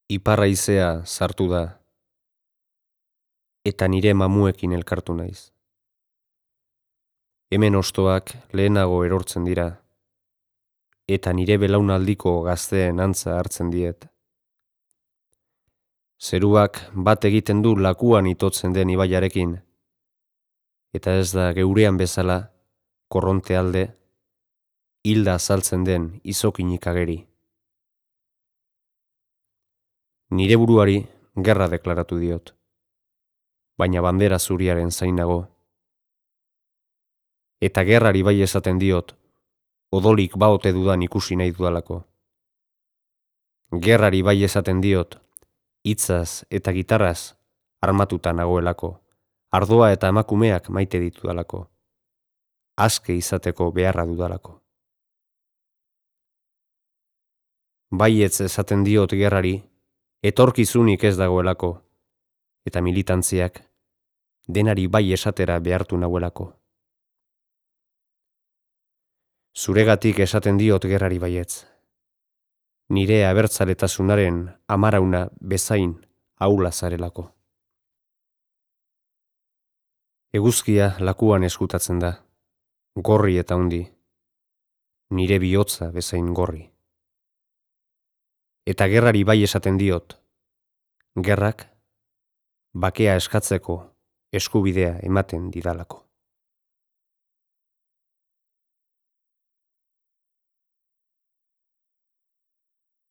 Ipar haizea sartu da, eta nire mamuekin elkartu naiz. Hemen ostoak lehenago erortzen dira, eta nire belaunaldiko gazteen antza hartzen diet. Zeruak bat egiten du lakuan itotzen den ibaiarekin, eta ez da geurean bezala, korronte alde, hilda azaltzen den izokinik ageri. Nire buruari gerra deklaratu diot, baina bandera zuriaren zainago. Eta gerrari bai esaten diot, odolik baote dudan ikusi nahi dudalako. Gerrari bai esaten diot, hitzaz eta gitarraz armatuta nagoelako, ardoa eta emakumeak maite ditudalako, aske izateko beharra dudalako. Baietz esaten diot gerrari, etorkizunik ez dagoelako, eta militantziak denari bai esatera behartu nagoelako. Zuregatik esaten diot gerrari baietz. Nire abertzaletasunaren amarauna bezain ahula zarelako. Eguzkia lakuan eskutatzen da, gorri eta hundi, nire bihotza bezain gorri. Eta gerrari bai esaten diot, gerrak bakea eskatzeko eskubidea ematen didalako.